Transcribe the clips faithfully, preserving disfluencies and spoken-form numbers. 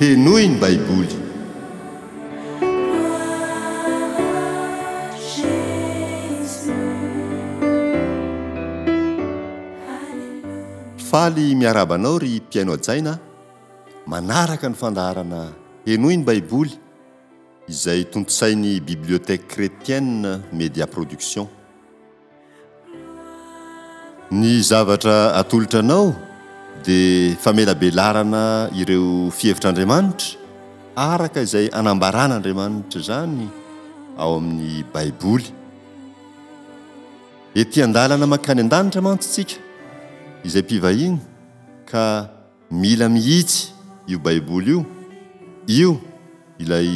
Henoy ny Baiboly. Faly miarahaba anao ry mpihaino hajaina a! Manaraka ny fandaharana Henoy ny Baiboly izay tontosain'ny Bibliothèque Chrétienne Media Production. Ny zavatra atolotra anao dia famelabelarana ireo fihevitr'Andriamanitra araka izay anambaran'Andriamanitra izany ao amin'ny Baiboly. Ety an-dalana mankany an-danitra mantsy tsika izay mpivahiny ka mila mihitsy io Baiboly io, io ilay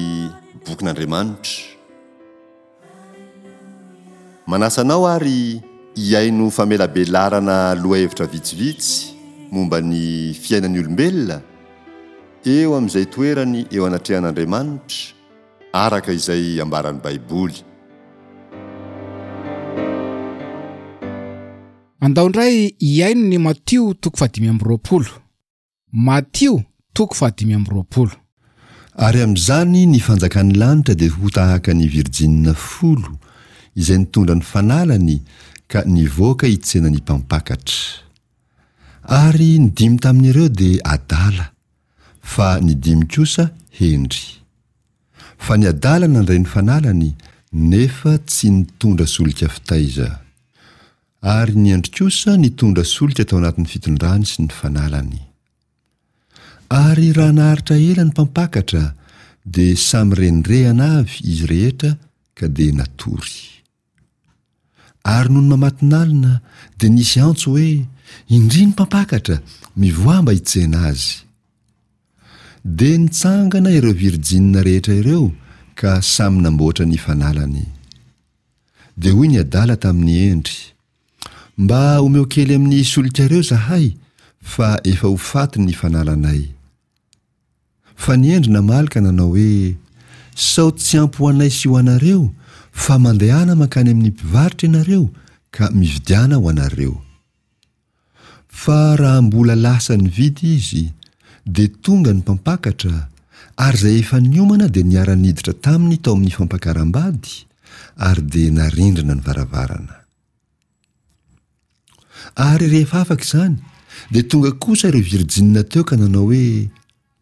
bokin'Andriamanitra. Manasa anao ary hihaino famelabelarana lohahevitra vitsivitsy momba ny fiainan'ny olombelona eo amin'izay toerany eo anatrehan'Andriamanitra araka izay ambaran'ny Baiboly. Andao indray hihaino ny Matio toko fahadimy amby roapolo. Matio toko fahadimy amby roapolo. Ary amin'izany ny fanjakan'ny lanitra dia ho tahaka ny virjinina folo izay nitondra ny fanalany ka nivoaka hitsena ny mpampakatra. Ary ny dimy tamin'ireo dia adala, fa ny dimy kosa hendry. Fa ny adala nandray ny fanalany, nefa tsy nitondra solika fitaiza. Ary ny hendry kosa nitondra solika tao anatin'ny fitondrany sy ny fanalany. Ary raha naharitra ela ny mpampakatra, dia samy rendrehana avy izy rehetra ka dia natory. Ary nony mamatonalina, dia nisy antso hoe, Indry ny mpampakatra, mivoaha mba hitsena azy. Dia nitsangana ireo virjinina rehetra ireo ka samy namboatra ny fanalany. Dia hoy ny adala tamin'ny hendry, Mba omeo kely amin'ny solikareo zahay fa efa ho faty ny fanalanay. Fa ny hendry namaly ka nanao hoe, Sao tsy ampy ho anay sy ho anareo, fa mandehana mankany amin'ny mpivarotra ianareo ka mividiana ho anareo. Fa raha mbola lasa nividy izy, dia tonga ny mpampakatra, ary izay efa niomana dia niara-niditra taminy tao amin'ny fampakaram-bady, ary dia narindrina ny varavarana. Ary rehefa afaka izany, dia tonga kosa ireo virjinina teo ka nanao hoe,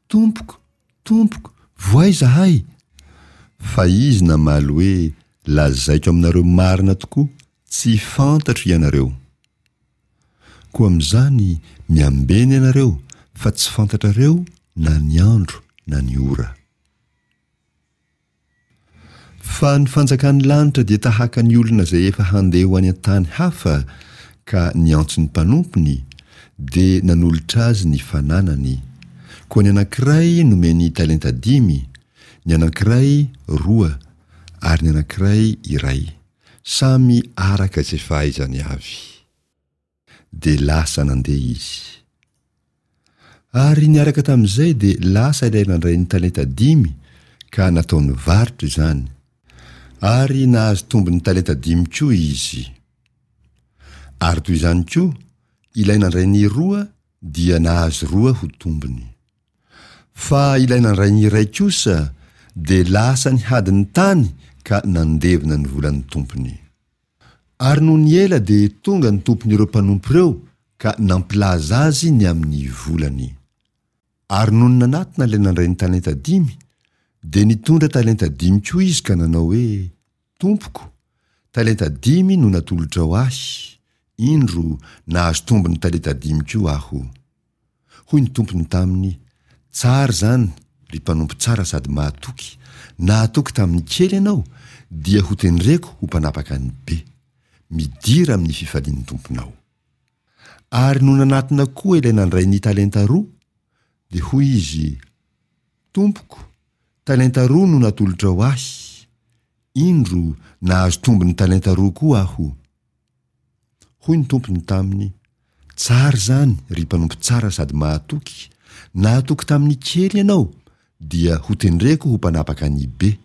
Tompoko, Tompoko, vohay izahay! Fa izy namaly hoe, Lazaiko aminareo marina tokoa, tsy fantatro ianareo. Koa amin'izany, miambena ianareo, fa tsy fantatrareo na ny andro na ny ora. Fa ny fanjakan'ny lanitra dia tahaka ny olona izay efa handeha ho any an-tany hafa ka niantso ny mpanompony, dia nanolotra azy ny fananany. Koa ny anankiray nomeny talenta dimy, ny anankiray roa, ary ny anankiray iray, samy araka izay fahaizany avy. Dia lasa nandeha izy. Ary niaraka tamin'izay dia lasa ilay nandray ny talenta dimy ka nataony varotra izany. Ary nahazo tombony talenta dimy koa izy. Ary toy izany koa, ilay nandray ny roa dia nahazo roa ho tombony. Fa ilay nandray ny iray kosa dia lasa nihady ny tany ka nandevona ny volan'ny tompony. Ary nony ela dia tonga ny tompon'ireo mpanompo ireo ka nampilaza azy ny amin'ny volany. Ary nony nanatona ilay nandray ny talenta dimy, dia nitondra talenta dimy koa izy ka nanao hoe, Tompoko, talenta dimy no natolotrao ahy, indro nahazo tombony talenta dimy koa aho. Hoy ny tompony taminy, Tsara izany, ry mpanompo tsara sady mahatoky, nahatoky tamin'ny kely ianao, dia hotendreko ho mpanapaka ny be. Midira amin'ny fifalian'ny tomponao. Ary nony nanatona koa ilay nandray ny talenta roa, dia hoy izy, Tompoko, talenta roa no natolotrao ahy, indro nahazo tombony talenta roa koa aho. Hoy ny tompony taminy, Tsara izany, ry mpanompo tsara sady mahatoky, nahatoky tamin'ny kely ianao, dia hotendreko ho mpanapaka ny be.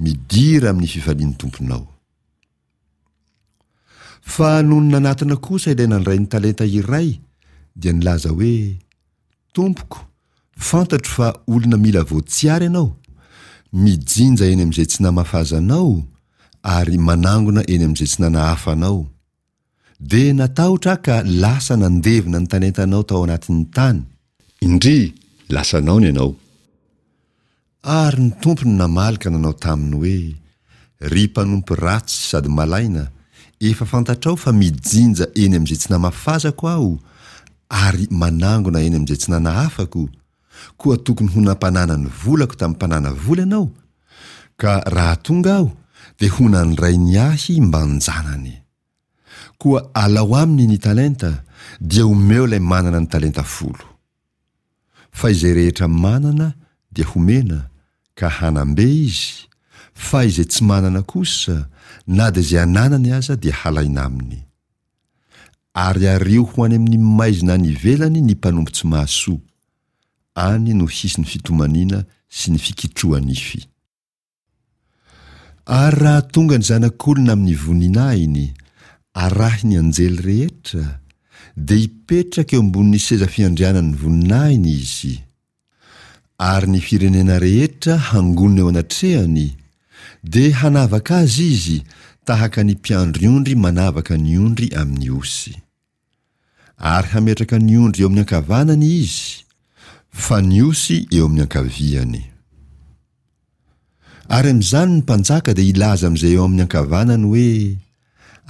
Midira amin'ny fifalian'ny tomponao. Fa nony nanatona kosa ilay nandray ny talenta iray, dia nilaza hoe, Tompoko, Fantatro fa olona mila voatsiary ianao, mijinja eny amin'izay tsy namafazanao ary manangona eny amin'izay tsy nanahafanao. Dia natahotra aho ka lasa nandevina ny talentanao tao anatin'ny tany. Indry, lasanao ny anao. Ary ny tompony namaly ka nanao taminy hoe, Ry mpanompo ratsy sady malaina, efa fantatrao fa mijinja eny amin'izay tsy namafazako aho ary manangona eny amin'izay tsy nanahafako, koa tokony ho nampanana ny volako tamin'ny mpanana vola ianao, ka raha tonga aho dia ho nandray ny ahy mban-janany. Koa alao aminy ny talenta, dia omeo ilay manana ny talenta folo. Fa izay rehetra manana dia homena, ka hanam-be izy, fa izay tsy manana kosa, na dia izay ananany aza dia halaina aminy. Ary ario ho any amin'ny maizina any ivelany ny mpanompo tsy mahasoa. Any no hisy ny fitomaniana sy ny fikitroha-nify. Ary raha tonga ny Zanak'olona amin'ny voninahiny, arahin'ny anjely rehetra, dia hipetraka eo ambonin'ny seza fiandrianan'ny voninahiny izy. Ary ny firenena rehetra hangonina eo anatrehany, dia hanavaka azy izy tahaka ny mpiandry ondry manavaka ny ondry amin'ny osy. Ary hametraka ny ondry eo amin'ny ankavanany izy, fa ny osy eo amin'ny ankaviany. Ary amin'izany ny mpanjaka dia hilaza amin'izay eo amin'ny ankavanany hoe,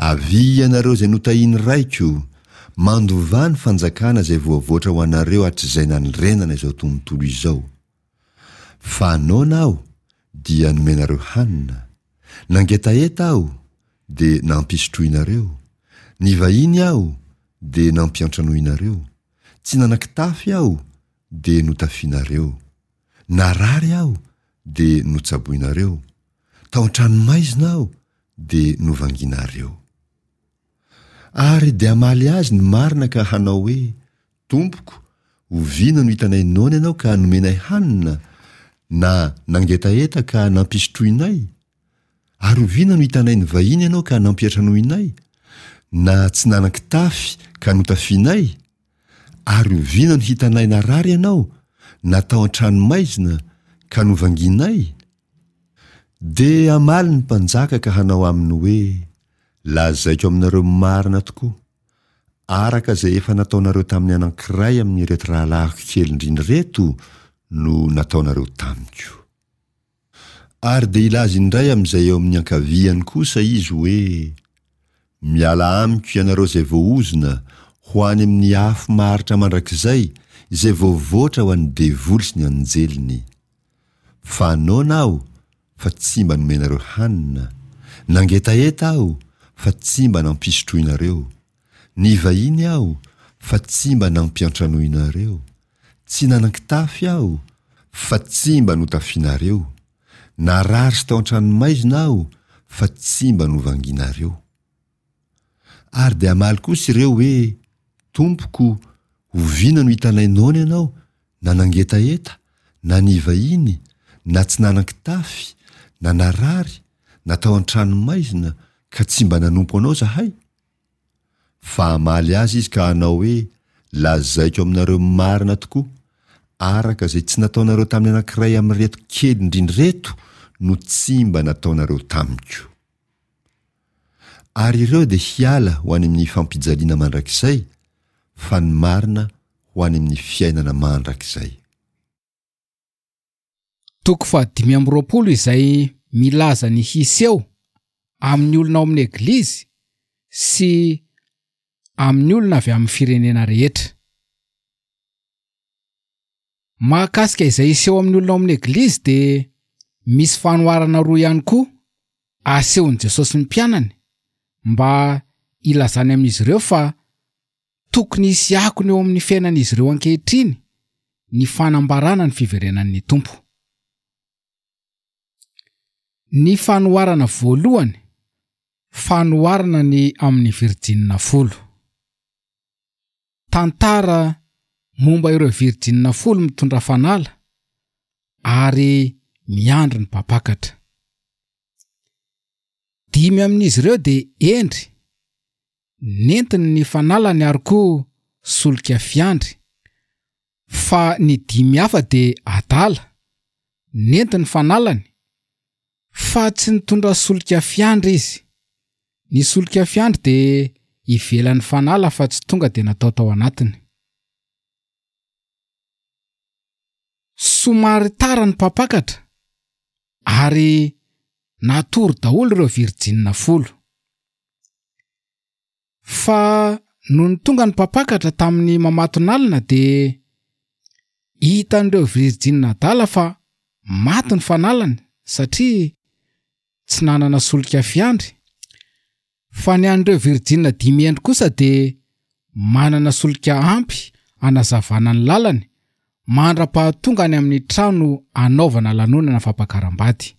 Avia ianareo izay notahian'ny Raiko, mandovà ny fanjakana izay voavoatra ho anareo hatrizay nanorenana izao tontolo izao. Fa noana aho, dia nomenareo hanina, nangetaheta aho, dia nampisotroinareo, nivahiny aho, dia nampiantranoinareo, tsy nanan-kitafy aho, dia notafianareo, narary aho, dia notsaboinareo, tao an-tranomaizina aho, dia novanginareo. Ary dia hamaly azy ny marina ka hanao hoe, Tompoko, oviana no hitanay noana ianao ka nomenay hanina, na nangetaheta ka nampisotroinay? Ary oviana no hitanay nivahiny ianao ka nampiantranoinay, na tsy nanan-kitafy ka notafianay? Ary oviana no hitanay narary ianao, na tao an-tranomaizina, ka novangianay? Dia hamaly ny mpanjaka ka hanao aminy hoe, Lazaiko aminareo marina tokoa, araka izay efa nataonareo tamin'ny anankiray amin'ireto rahalahiko kely indrindra ireto no nataonareo tamiko. Ary dia hilaza indray amin'izay eo amin'ny ankaviany kosa izy hoe, Miala amiko ianareo izay voaozona, ho any amin'ny afo maharitra mandrakizay, izay voavoatra ho an'ny devoly sy ny anjeliny. Fa noana aho, fa tsy mba nomenareo hanina, nangetaheta aho, fa tsy mba nampisotroinareo, nivahiny aho, fa tsy mba nampiantranoinareo, tsy nanan-kitafy aho, fa tsy mba notafianareo, narary sy tao an-tranomaizina aho, fa tsy mba novanginareo. Ary dia hamaly kosa ireo hoe, Tompoko, oviana no hitanay noana ianao, na nangetaheta, na nivahiny, na tsy nanan-kitafy, na narary, na tao an-tranomaizina, ka tsy mba nanompo anao izahay? Fa hamaly azy izy ka hanao hoe, Lazaiko aminareo marina tokoa, araka izay tsy nataonareo tamin'ny anankiray amin'ireto kely indrindra ireto no tsy mba nataonareo tamiko. Ary ireo dia hiala ho any amin'ny fampijaliana mandrakizay, fa ny marina ho any amin'ny fiainana mandrakizay. Toko fahadimy amby roapolo izay milaza ny hiseho amin'ny olona ao amin'ny Eglizy sy amin'ny olona avy amin'ny firenena rehetra. Mahakasika izay hiseho amin'ny olona ao amin'ny Eglizy dia misy fanoharana roa ihany koa asehon'i Jesosy ny mpianany mba hilazany amin'izy ireo fa tokony hisy akony eo amin'ny fiainan'izy ireo ankehitriny ny fanambarana ny fiverenan'ny Tompo. Ny fanoharana voalohany, fanoharana ny amin'ny virjinina folo. Tantara momba ireo virjinina folo mitondra fanala ary miandry ny mpampakatra. Dimy amin'izy ireo dia hendry, nentiny ny fanalany ary koa solika fiandry, Fa ny dimy hafa dia adala, nentiny fanalany, fa tsy nitondra solika fiandry izy. Ny solika fiandry dia ivelan'ny fanala fa tsy tonga dia natao tao anatiny. Somary tara ny mpampakatra ary natory daholo ireo virjinina folo. Fa nony tonga ny mpampakatra tamin'ny mamatonalina dia hitan'ireo virjinina adala fa maty ny fanalany satria tsy nanana solika fiandry. Fa ny an'ireo virjinina dimy hendry kosa dia manana solika ampy hanazavana ny lalany mandra-pahatonga any amin'ny trano anaovana lanonana fampakaram-bady.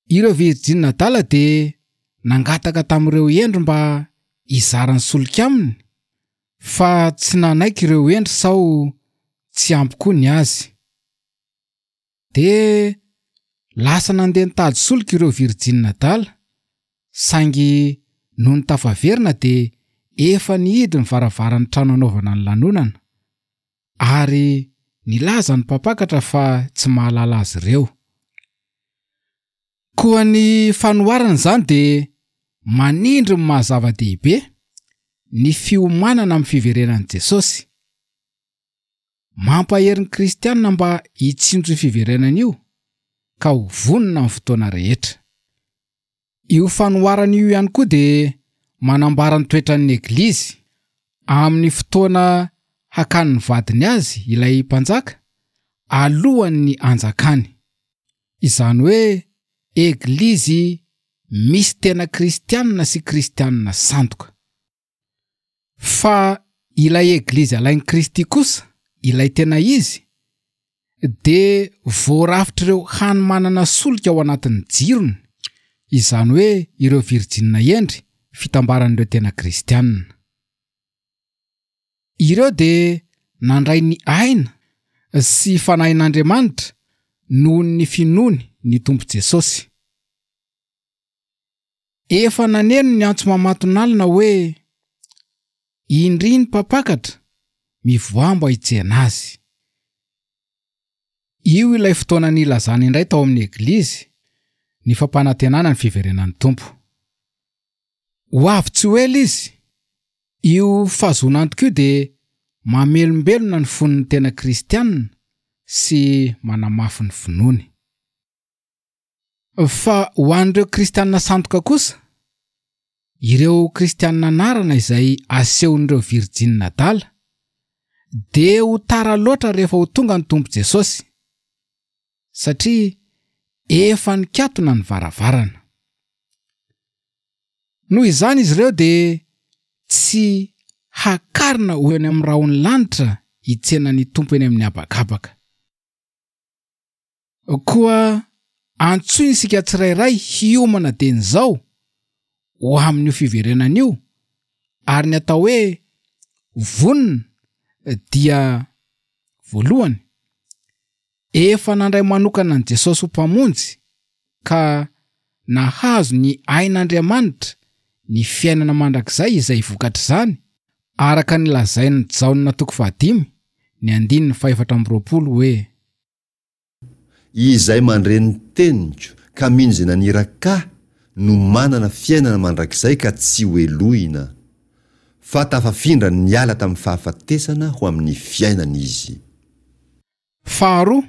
Ireo virjinina adala dia nangataka tamin'ireo hendry mba hizara ny solika aminy, fa tsy nanaiky ireo hendry sao tsy ampy koa ny azy. Dia lasa nandeha nitady solika ireo virjinina adala, saingy nony tafaverina dia efa nihidy ny varavaran'ny trano anaovana ny lanonana, ary nilaza ny mpampakatra fa tsy mahalala azy ireo. Koa ny fanoharana izany dia manindry ny maha zava-dehibe ny fiomanana amin'ny fiverenan'i Jesosy. Mampahery ny kristianina mba hitsinjo io fiverenana io ka ho vonona amin'ny fotoana rehetra. Io fanoharana io ihany koa dia manambara ny toetran'ny eglizy amin'ny fotoana hakan'ny vadiny azy ilay mpanjaka alohan'ny hanjakany. Izany hoe eglizy misy tena kristianina sy kristianina sandoka. Fa ilay eglizy alain'i Kristy kosa, ilay tena izy, dia voarafitr'ireo hany manana solika ao anatin'ny jirony, izany hoe ireo virjinina hendry fitambaran'ireo tena kristianina. Ireo dia nandray ny aina sy fanahin'Andriamanitra noho ny finoany ny Tompo Jesosy. Efa naneno ny antso mamatonalina hoe indry ny mpampakatra mivoaha mba hitsena azy. Io ilay fotoana nilazana indray tao amin'ny eglizy ny fampanantenana ny fiverenan'ny Tompo. Ho avy tsy ho ela izy. Io fahazoana antoka io dia mamelombelona ny fon'ny tena kristianina sy manamafy ny finoany. Fa ho an'ireo kristianina sandoka kosa, ireo kristianina anarana izay asehon'ireo virjinina adala, dia ho tara loatra rehefa ho tonga ny Tompo Jesosy, satria efa nikatona ny varavarana. Noho izany izy ireo dia tsy hakarina ho eny amin'ny rahon'ny lanitra hitsena ny Tompo eny amin'ny habakabaka. Koa antsoina isika tsirairay hiomana dieny izao ho amin'io fiverenana io, ary ny atao hoe vonona dia voalohany efa nandray manokana an'i Jesosy ho mpamonjy ka nahazo ny ain'Andriamanitra ny fiainana mandrakizay izay vokatr'izany, araka ny lazain'i Jaona toko fahadimy ny andininy fahefatra amby roapolo hoe: Izay mandre ny teniko ka mino izay naniraka ahy no manana fiainana mandrakizay ka tsy ho helohina, fa tafafindra niala tamin'ny fahafatesana ho amin'ny fiainana izy. Faharoa,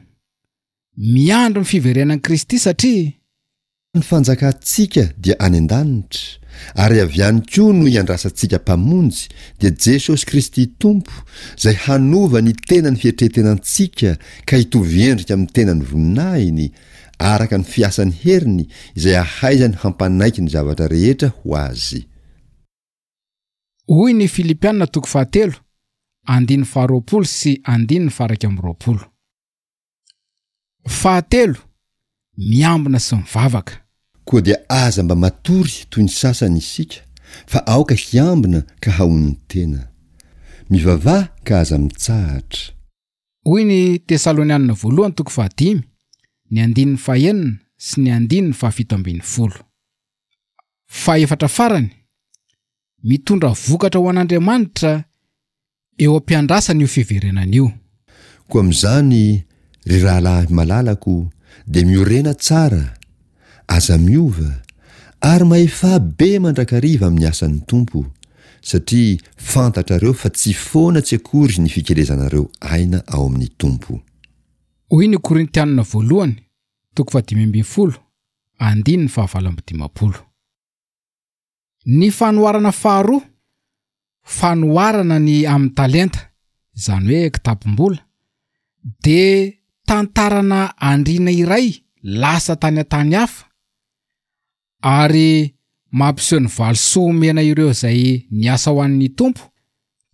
miandry ny fiverenan'i Kristy satria ny fanjakantsika dia any an-danitra, ary avy any koa no iandrasantsika Mpamonjy, dia Jesosy Kristy Tompo, izay hanova ny tenan'ny fietretenantsika ka hitovy endrika amin'ny tenan'ny voninahiny, araka ny fiasan'ny heriny izay ahaizany hampanaiky ny zavatra rehetra ho azy. Hoy ny Filipiana toko fahatelo, andininy faharoapolo sy andininy faha-iraika amby roapolo. Fahatelo, miambina sy mivavaka. Koa dia aza mba matory toy ny sasany isika, fa aoka hiambina ka hahonon-tena. Mivavaha ka aza mitsahatra. Hoy ny Tesalonianina voalohany toko fahadimy, ny andininy fahenina sy ny andininy fahafito ambin'ny folo. Fahefatra farany, mitondra vokatra ho an'Andriamanitra eo am-piandrasana io fiverenana io. Koa amin'izany, ry rahalahy malalako, dia miorena tsara, aza miova, ary mahefà be mandrakariva amin'ny asan'ny Tompo, satria fantatrareo fa tsy foana tsy akory ny fikelezanareo aina ao amin'ny Tompo. Hoy ny Korintianina voalohany, toko fahadimy ambin'ny folo, andininy fahavalo amby dimampolo. Ny fanoharana faharoa, fanoharana ny amin'ny talenta, izany hoe kitapom-bola, dia tantarana andriana iray lasa tany an-tany hafa ary mampiseho ny valisoa omena ireo izay niasa ho an'ny Tompo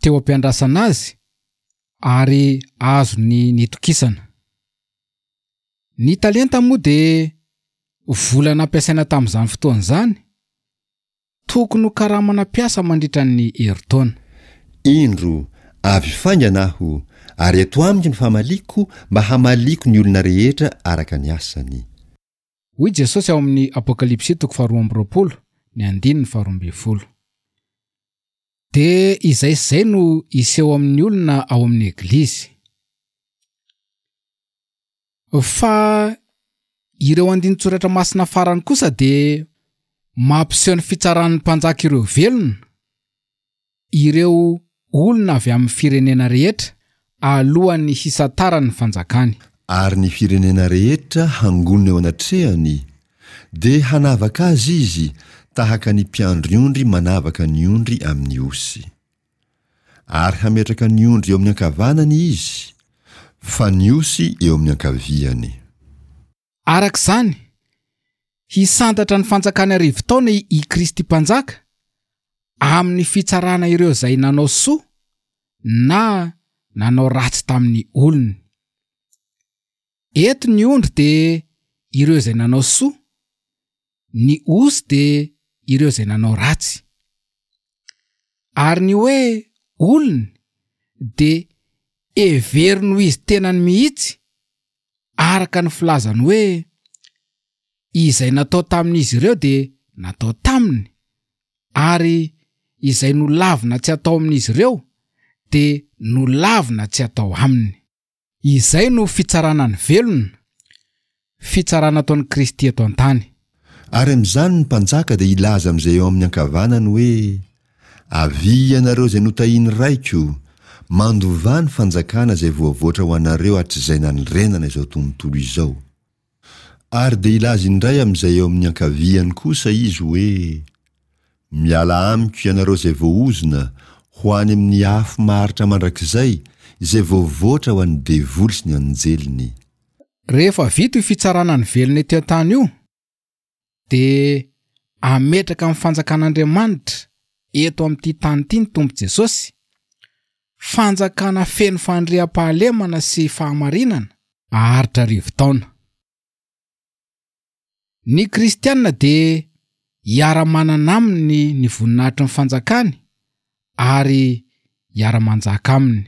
teo am-piandrasana azy ary azony nitokisana. Ny talenta moa dia vola nampiasaina tamin'izany fotoana izany, tokony ho karamana mpiasa mandritra ny herintaona. Indro, avy faingana aho, ary eto amiko ny famaliko mba hamaliko ny olona rehetra araka ny asany. Hoy Jesosy ao amin'ny Apokalypsy toko faharoa amby roapolo, ny andininy faharoa ambin'ny folo. Dia izay sy izay no hiseho amin'ny olona ao amin'ny Eglizy. Fa ireo andinin-tsoratra masina farany kosa dia mampiseho ny fitsaran'ny mpanjaka ireo velona, ireo olona avy amin'ny firenena rehetra alohan'ny hisantarany ny fanjakany. Ary ny firenena rehetra hangonina eo anatrehany, dia hanavaka azy izy tahaka ny mpiandry ondry manavaka ny ondry amin'ny osy. Ary hametraka ny ondry eo amin'ny ankavanany izy, fa ny osy eo amin'ny ankaviany. Araka izany, hisantatra ny fanjakany arivo taona i Kristy mpanjaka amin'ny fitsarana ireo izay nanao soa na nanao ratsy tamin'ny olony. Eto ny ondry dia ireo izay nanao soa, ny osy dia ireo izay nanao ratsy. Ary ny hoe olony dia heveriny ho izy tenany mihitsy, araka ny filazany hoe izay natao tamin'izy ireo dia natao taminy, ary izay nolavina tsy atao amin'izy ireo dia nolavina tsy atao aminy. Izay no fitsarana ny velona, fitsarana ataon'i Kristy eto an-tany. Ary amin'izany ny mpanjaka dia hilaza amin'izay eo amin'ny ankavanany hoe: Avia ianareo izay notahian'ny Raiko, mandovà ny fanjakana izay voavoatra ho anareo hatrizay nanorenana izao tontolo izao. Ary dia hilaza indray amin'izay eo amin'ny ankaviany kosa izy hoe: Miala amiko ianareo izay voaozona, ho any amin'ny afo maharitra mandrakizay, izay voavoatra ho an'ny devoly sy ny anjeliny. Rehefa vita io fitsarana ny velona eto an-tany io, dia ametraka amin'ny fanjakan'Andriamanitra eto amin'ity tany ity ny Tompo Jesosy, fanjakana feno fandriampahalemana sy fahamarinana aharitra arivo taona. Ny kristianina dia hiara-manana aminy ny voninahitry ny fanjakany ary hiara-manjaka aminy.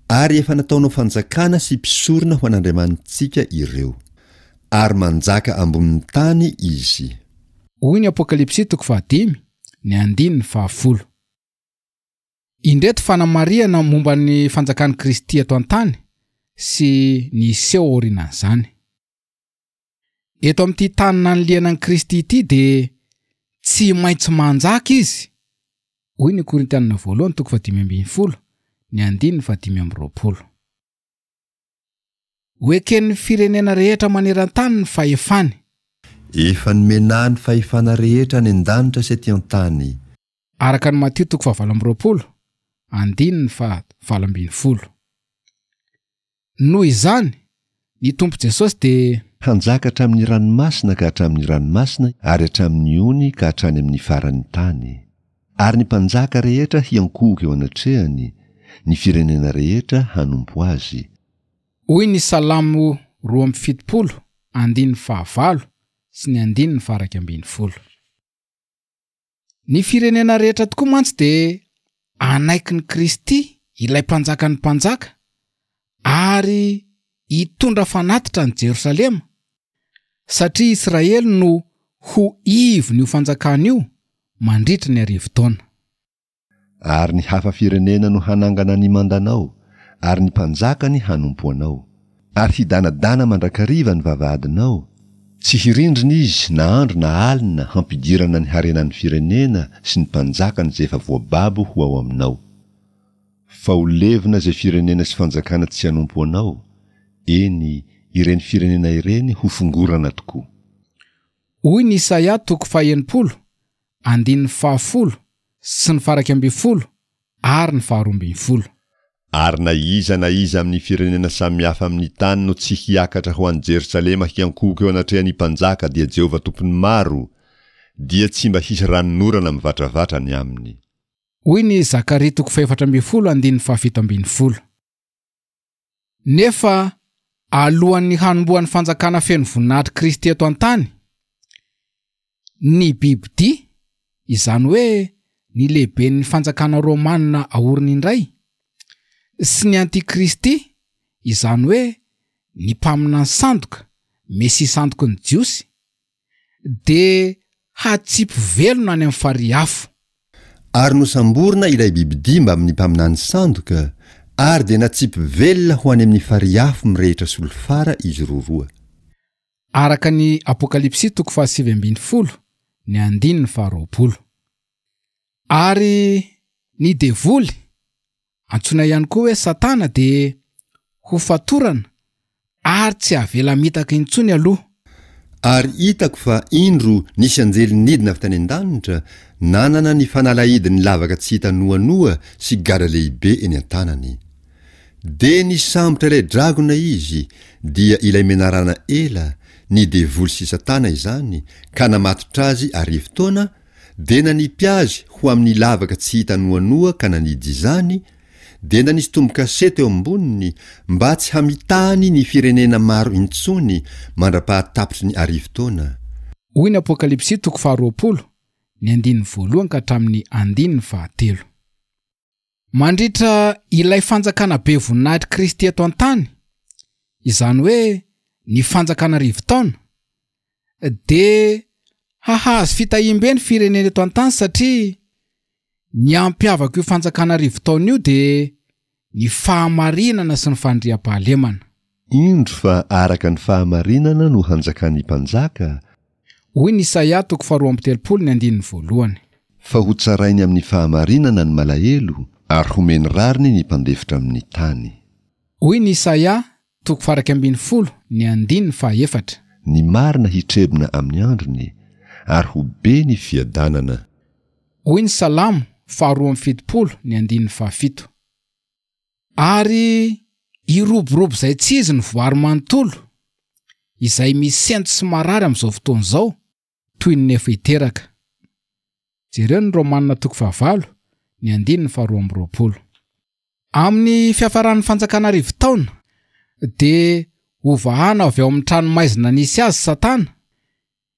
Ary efa nataonao fanjakana sy mpisorona ho an'Andriamanitsika ireo, ary manjaka ambonin'ny tany izy. Hoy ny Apokalypsy toko fahadimy, ny andininy fahafolo. Indreto fanamarihana momba ny fanjakan'i Kristy eto an-tany sy ny hiseho aorianan'izany. Eto amin'ity tany naniliana an'i Kristy ity dia tsy maintsy manjaka izy, hoy ny Korintianina voalohany toko fahadimy ambin'ny folo, ny andininy fahadimy amby roapolo. Ho eken'ny firenena rehetra maneran-tany ny fahefany. Efa nomena ny fahefana rehetra any an-danitra sy aty an-tany. Araka ny Matio toko fahavalo amby roapolo, andininy fahavalo ambin'ny folo. Noho izany, ny Tompo Jesosy dia hanjaka hatramin'ny ranomasina ka hatramin'ny ranomasina ary hatramin'ny ony ka hatrany amin'ny faran'ny tany. Ary ny mpanjaka rehetra hiankohoka eo anatrehany, ny firenena rehetra hanompo azy. Hoy ny Salamo roa amby fitopolo, andininy fahavalo sy ny andininy faha-iraika ambin'ny folo. Ny firenena rehetra tokoa mantsy dia hanaiky ny Kristy, ilay mpanjakan'ny mpanjaka, ary hitondra fanatitra any Jerosalema, satria Israely no ho ivon'io fanjakana io mandritra ny arivo taona. Ary ny hafa firenena no hanangana ny mandanao, ary ny mpanjakany hanompo anao. Ary hidanadana mandrakariva ny vavahadinao, tsy hirindrina izy na andro na alina hampidirana ny harenan'ny firenena sy ny mpanjakany izay efa voababo ho ao aminao. Fa ho levona izay firenena sy fanjakana tsy hanompo anao, eny, ireny firenena ireny ho fongorana tokoa. Hoy ny Isaia toko faha-enimpolo, andininy fahafolo sy ny faha-iraika ambin'ny folo ary ny faharoa ambin'ny folo. Ary na iza na iza amin'ny firenena samihafa amin'ny tany no tsy hiakatra ho any Jerosalema hiankohoka eo anatrehan'ny Mpanjaka dia Jehovah Tompon'ny maro, dia tsy mba hisy ranonorana mivatravatra ny aminy. Hoy ny Zakaria toko fahefatra ambin'ny folo andininy fahafito ambin'ny folo. Nefa alohan'ny hanombohan'ny fanjakana feno voninahitr'i Kristy eto an-tany, ny bibidia, izany hoe ny lehiben'ny fanjakana romanina aoriny indray, sy ny antikristy, izany hoe ny mpaminany sandoka, mesia sandoky ny Jiosy, dia hatsipy velona any amin'ny farihy afo. Ary nosamborina ilay bibidia mbamin'ny mpaminany sandoka, ary dia natsipy velona ho any amin'ny farihy afo mirehitra solifara izy roroa. Araka ny Apokalypsy toko fahasivy ambin'ny folo, ny andininy faharoapolo. Ary ny devoly, antsoina ihany koa hoe Satana, dia ho fatorana ary tsy avela mitaka intsony aloha. Ary hitako fa indro nisy anjely nidina avy tany an-danitra, nanana ny fanalahidin'ny lavaka tsy hita noanoa sy gadra lehibe eny an-tanany. Dia nisambotra ilay dragona izy, dia ilay menarana ela, ny devoly sy Satana izany, ka namatotra azy arivo taona, dia nanipy azy ho amin'ny lavaka tsy hita noanoa ka nanidy izany, dia nanisy tombo-kase teo amboniny mba tsy hamitahany ny firenena maro intsony mandra-pahatapitry ny arivo taona. Hoy ny Apokalypsy toko faharoapolo, ny andininy voalohany ka hatramin'ny andininy fahatelo. Mandritra ilay fanjakana be voninahitr'i Kristy eto an-tany, izany hoe ny fanjakana arivo taona, dia hahazo fitahiam-be ny firenena eto an-tany satria ny hampiavaka io fanjakana arivo taona io dia ny fahamarinana sy ny fandriampahalemana. Indro fa araka ny fahamarinana no hanjakan'ny mpanjaka, Hoy ny Isaia toko faharoa amby telopolo ny andininy voalohany. Fa hotsarainy amin'ny fahamarinana ny malahelo, ary homeny rariny ny mpandefitra amin'ny tany. Hoy ny Isaia toko faha-iraika ambin'ny folo ny andininy fahaefatra. Ny marina hitrebona amin'ny androny, ary ho be ny fiadanana. Hoy ny Salamo faharoa amby fitopolo ny andininy fahafito. Ary hiroborobo izay tsy izy ny voary manontolo, izay misento sy marary amin'izao fotoana izao, toy ny efa hiteraka. Jereo ny Romanina toko fahavalo, ny andininy faharoa amby roapolo. Amin'ny fiafaran'ny fanjakana arivo taona, dia hovahana avy ao amin'ny tranomaizina nisy azy Satana,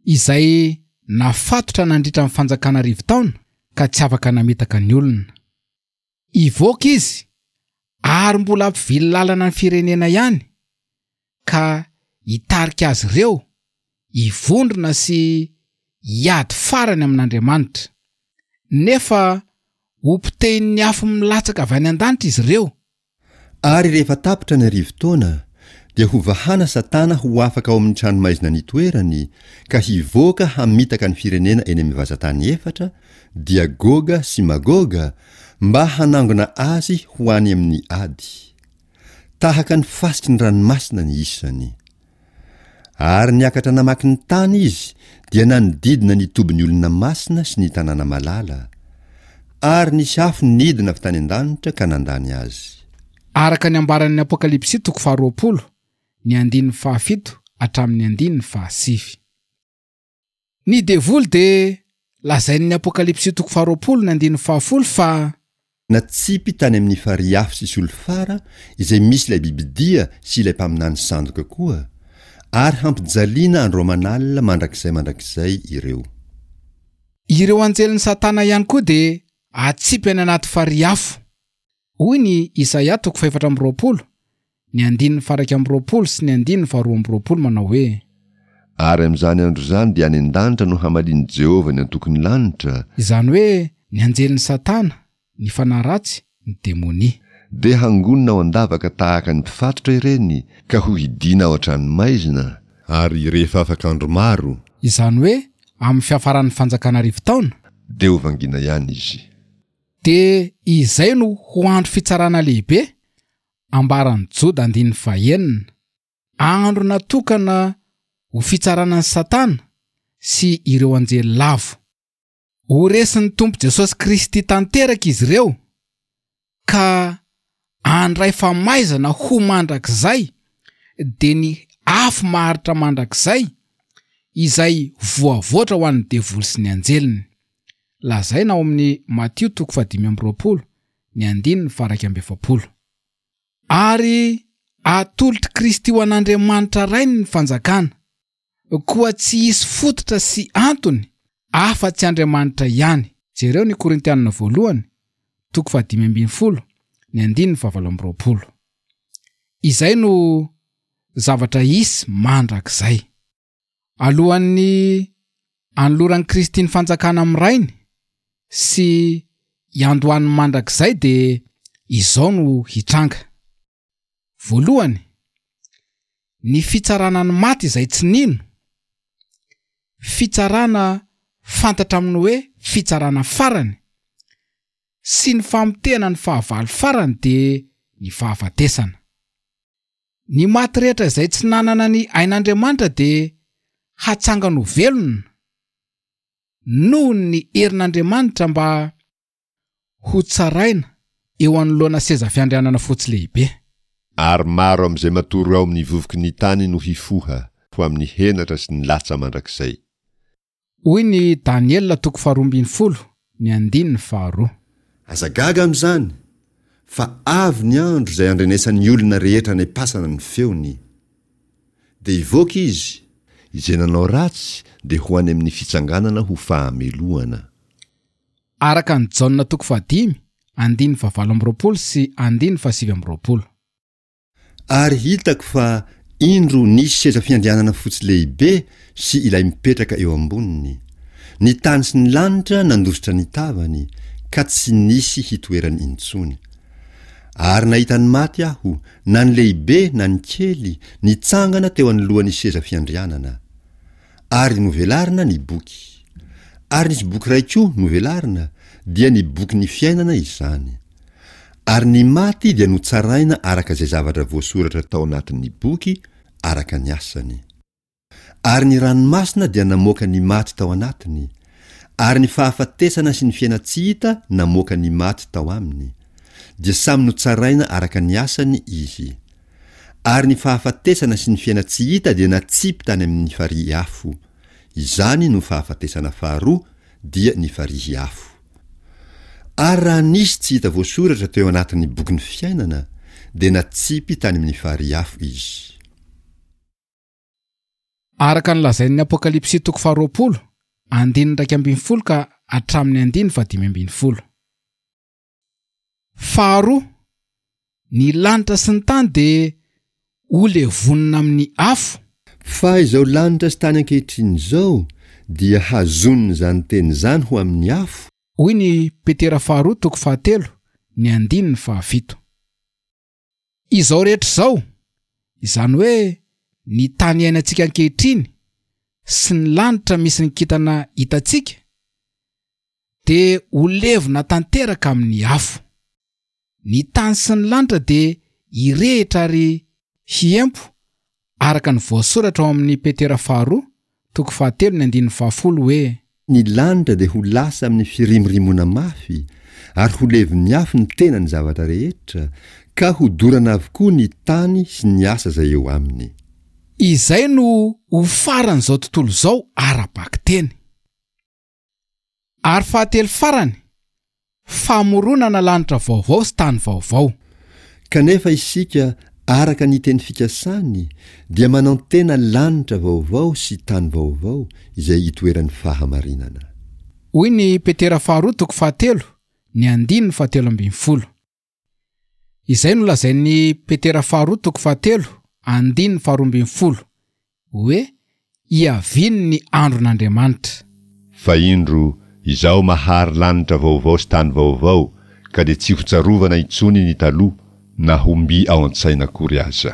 izay nafatotra nandritra ny fanjakana arivo taona ka tsy afaka namitaka ny olona. Hivoaka izy ary mbola hampivily lalana ny firenena ihany, ka hitarika azy ireo hivondrona sy hiady farany amin'Andriamanitra. Nefa ho potehin'ny afo milatsaka avy any an-danitra izy ireo. Ary rehefa tapitra ny arivo taona, dia hovahana Satana ho afaka ao amin'ny tranomaizina nitoerany, ka hivoaka hamitaka ny firenena eny amin'ny vazan-tany efatra, dia Goga sy Magoga, mba hanangona azy ho any amin'ny ady. Tahaka ny fasiky ny ranomasina ny isany. Ary niakatra namaky ny tany izy, dia nanodidina ny tobin'ny olona masina sy ny tanàna malala. Ary nisy afo nidina avy tany an-danitra ka nandany azy. Araka ny ambaran'ny Apokalypsy toko faharoapolo, ny andininy fahafito hatramin'ny andininy fahasivy. Ny devoly dia lazain'ny Apokalypsy toko faharoapolo ny andininy fahafolo fa Natsipy tany amin'ny farihy afo sy solifara izay misy ilay bibidia sy ilay mpaminany sandoka koa, ary hampijaliana andro aman'alina mandrakizay mandrakizay ireo. Ireo anjelin'i Satana ihany koa dia atsipy any anaty farihy afo. Hoy ny Isaia toko fahefatra amby roapolo, ny andininy faha-iraika amby roapolo sy ny andininy faharoa amby roapolo manao hoe. Ary amin'izany andro izany dia any an-danitra no hamalian'i Jehovah ny antokon'ny lanitra, Izany hoe ny anjelin'i Satana, ny fanahy ratsy, ny demonia. Dia hangonina ao an-davaka tahaka ny mpifatotra ireny ka hohidiana ao an-tranomaizina, ary rehefa afaka andro maro. Izany hoe amin'ny fiafaran'ny fanjakana arivo taona. Dia hovangiana ihany izy. Dia izay no ho andro fitsarana lehibe, ambaran'i Joda andininy fahenina. Andro natokana ho fitsarana an'i Satana sy ireo anjely lavo. Ho resin'ny Tompo Jesosy Kristy tanteraka izy ireo ka handray famaizana ho mandrakizay, dia ny afo maharitra mandrakizay izay voavoatra ho an'ny devoly sy ny anjeliny. Lazaina ao amin'ny Matio toko fahadimy amby roapolo, ny andininy faha-iraika amby efapolo. Ary atolotr'i Kristy ho an'Andriamanitra Rainy ny fanjakana, koa tsy hisy fototra sy antony afa-tsy Andriamanitra ihany. Jereo ny Korintianina voalohany, toko fahadimy ambin'ny folo, ny andininy fahavalo amby roapolo. Izay no zavatra hisy mandrakizay. Alohan'ny anoloran'i Kristy ny fanjakana amin'ny Rainy sy hiandohan'ny mandrakizay dia izao no hitranga. Voalohany, ny fitsarana ny maty izay tsy nino, fitsarana fantatra amin'ny hoe fitsarana farany, sy ny famotehana ny fahavalo farany dia ny fahafatesana. Ny maty rehetra izay tsy nanana ny ain'Andriamanitra dia hatsangana ho velona noho ny herin'Andriamanitra mba ho tsaraina eo anoloana seza fiandrianana fotsy lehibe. Ary maro amin'izay matory ao amin'ny vovoky ny tany no hifoha, ho amin'ny henatra sy ny latsa mandrakizay. Hoy ny Daniela toko faharoa ambin'ny folo, ny andininy faharoa. Aza gaga amin'izany, fa avy ny andro izay handrenesan'ny olona rehetra any am-pasana ny feony. Dia hivoaka izy. Izay nanao ratsy dia ho any amin'ny fitsanganana ho fahamelohana. Araka an'i Jaona toko fahadimy, andininy fahavalo amby roapolo sy andininy fahasivy amby roapolo. Ary hitako fa indro nisy seza fiandrianana fotsy lehibe sy ilay mipetraka eo amboniny. Ny tany sy ny lanitra nandositra ny tavany, ka tsy nisy hitoerany intsony. Ary nahita ny maty aho, na ny lehibe na ny kely, nitsangana teo anoloan'ny seza fiandrianana. Ary novelarina ny boky. Ary nisy boky iray koa novelarina, dia ny bokin'ny fiainana izany. Ary ny maty dia notsaraina araka izay zavatra voasoratra tao anatin'ny boky, araka ny asany. Ary ny ranomasina dia namoaka ny maty tao anatiny, ary ny fahafatesana sy ny fiainan-tsy hita namoaka ny maty tao aminy, dia samy notsaraina araka ny asany izy. Ary ny fahafatesana sy ny fiainan-tsy hita dia natsipy tany amin'ny farihy afo. Izany no fahafatesana faharoa, dia ny farihy afo. Ary raha nisy tsy hita voasoratra teo anatin'ny bokin'ny fiainana, dia natsipy tany amin'ny farihy afo izy. Araka ny lazain'ny Apokalypsy toko faharoapolo, andininy iraika ambin'ny folo ka hatramin'ny andininy fahadimy ambin'ny folo. Faharoa, ny lanitra sy ny tany dia ho levonina amin'ny afo. Fa izao lanitra sy tany ankehitriny izao dia hazonin'izany teny izany ho amin'ny afo. Hoy ny Petera faharoa toko fahatelo, ny andininy fahafito. Izao rehetra izao, izany hoe ny tany iainantsika ankehitriny sy ny lanitra misy ny kintana hitantsika, dia ho levona tanteraka amin'ny afo. Ny tany sy ny lanitra dia hirehitra ary hiempo araka ny voasoratra ao amin'ny Petera faharoa toko fahatelo ny andininy fahafolo hoe. Ny lanitra dia ho lasa amin'ny firimorimoana mafy, ary ho levon'ny afo ny tenan'ny zavatra rehetra, ka hodorana avokoa ny tany sy ny asa izay eo aminy. Izay no ho faran'izao tontolo izao ara-bakiteny. Ary fahatelo farany, famoronana lanitra vaovao sy tany vaovao. Kanefa isika, araka ny teny fikasany, dia manantena lanitra vaovao sy tany vaovao izay itoeran'ny fahamarinana. Hoy ny Petera faharoa toko fahatelo, ny andininy fahatelo ambin'ny folo. Izay no lazain'ny Petera faharoa toko fahatelo, andininy faharoa ambin'ny folo, hoe hiavian'ny andron'Andriamanitra. Fa indro, Izaho mahary lanitra vaovao sy tany vaovao, ka dia tsy hotsarovana intsony ny taloha na ho mby ao an-tsaina akory aza.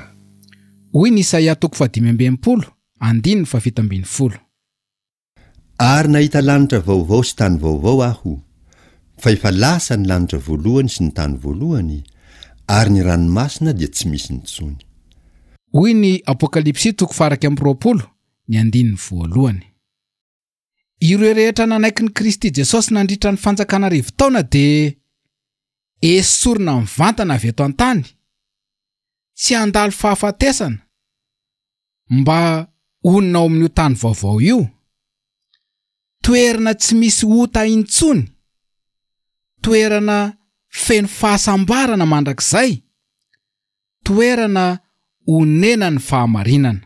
Hoy ny Isaia toko fahadimy amby enimpolo, andininy fahafito ambin'ny folo. Ary nahita lanitra vaovao sy tany vaovao aho, fa efa lasa ny lanitra voalohany sy ny tany voalohany, ary ny ranomasina dia tsy misy intsony. Hoy ny Apokalypsy toko faha-iraika amby roapolo, ny andininy voalohany. Ireo rehetra nanaiky ny Kristy Jesosy nandritra ny fanjakana arivo taona dia esorina mivantana avy eto an-tany, tsy handalo fahafatesana mba honina ao amin'io tany vaovao io. Toerana tsy misy ota intsony, toerana feno fahasambarana mandrakizay, toerana onenan'ny fahamarinana.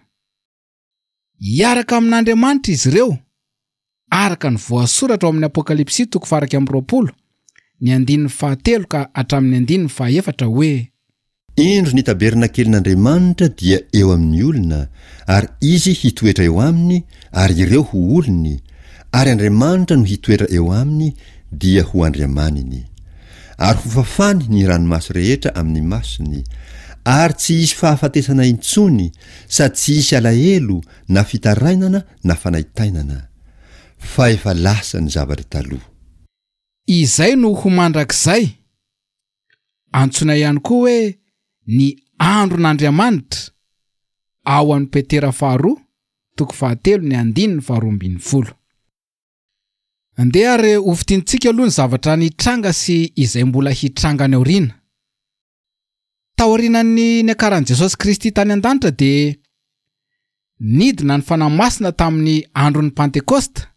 Hiaraka amin'Andriamanitra izy ireo, araka ny voasoratra ao amin'ny Apokalypsy toko faha-iraika amby roapolo, ny andininy fahatelo ka hatramin'ny andininy fahaefatra hoe: Indro ny tabernakelin'Andriamanitra dia eo amin'ny olona, ary izy hitoetra eo aminy, ary ireo ho olony, ary Andriamanitra no hitoetra eo aminy, dia ho Andriamaniny. Ary hofafany ny ranomaso rehetra amin'ny masony, ary tsy hisy fahafatesana intsony, sady tsy hisy alahelo na fitarainana na fanaintainana, fa efa lasa ny zavatra taloha. Izay no ho mandrakizay, antsoina ihany koa hoe ny andron'Andriamanitra, ao amin'ny Petera faharoa, toko fahatelo, ny andininy faharoa ambin'ny folo. Andeha ary ho fintinitsika aloha ny zavatra nitranga sy izay mbola hitranga any aoriana. Taorian'ny niakaran'i Jesosy Kristy tany an-danitra dia nidina ny Fanahy Masina tamin'ny andron'ny Pantekosta,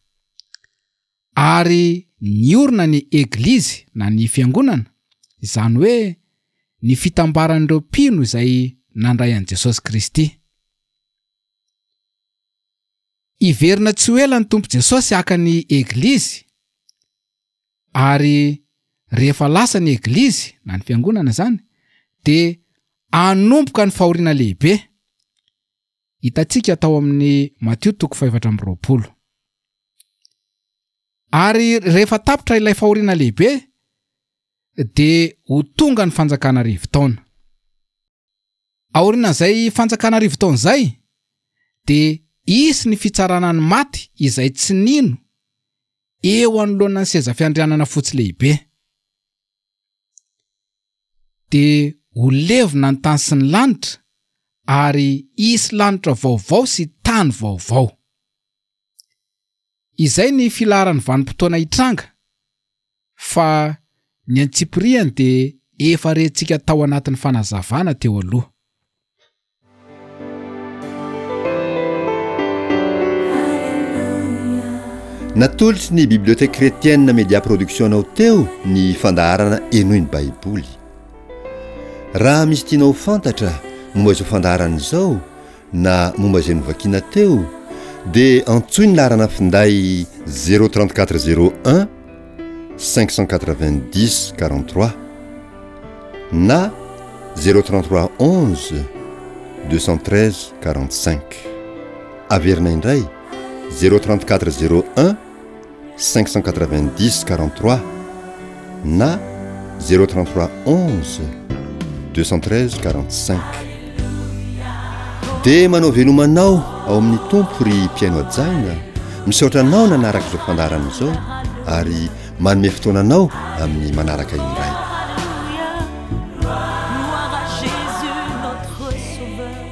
ary niorina ny Eglizy na ny Fiangonana, izany hoe ny fitambaran'ireo mpino izay nandray an'i Jesosy Kristy. Hiverina tsy ho ela ny Tompo Jesosy haka ny Eglizy, ary rehefa lasa ny Eglizy na ny Fiangonana izany, dia hanomboka ny fahoriana lehibe. Hitantsika tao amin'ny Matio toko fahefatra amby roapolo. Ary rehefa tapitra ilay fahoriana lehibe, dia ho tonga ny fanjakana arivo taona. Aorian'izay fanjakana arivo taona izay, dia hisy ny fitsarana ny maty izay tsy nino eo anoloan'ny seza fiandrianana fotsy lehibe. Dia ho levona ny tany sy ny lanitra, ary hisy lanitra vaovao sy tany vaovao. Izay ny filaharan'ny vanim-potoana hitranga, fa ny antsipiriany dia efa rentsika tao anatin'ny fanazavana teo aloha. Natolotry ny Bibliothèque Chrétienne Média Production anao teo ny fandaharana Henoy ny Baiboly. Raha misy tianao ho fantatra momba izao fandaharana izao na momba izay novakiana teo, dia antsoy ny laharana finday zéro trente-quatre zéro un cinq cent quatre-vingt-dix quarante-trois na zéro trente-trois onze deux cent treize quarante-cinq. Averina indray zéro trente-quatre zéro un cinq cent quatre-vingt-dix quarante-trois na zéro trente-trois onze deux cent treize quarante-cinq. Dia manao veloma anao ao amin'ny Tompo ry mpihaino hajaina, misaotra anao nanaraka izao fandaharana izao ary manome fotoana anao amin'ny manaraka indray. Gloire à Jésus notre Sauveur.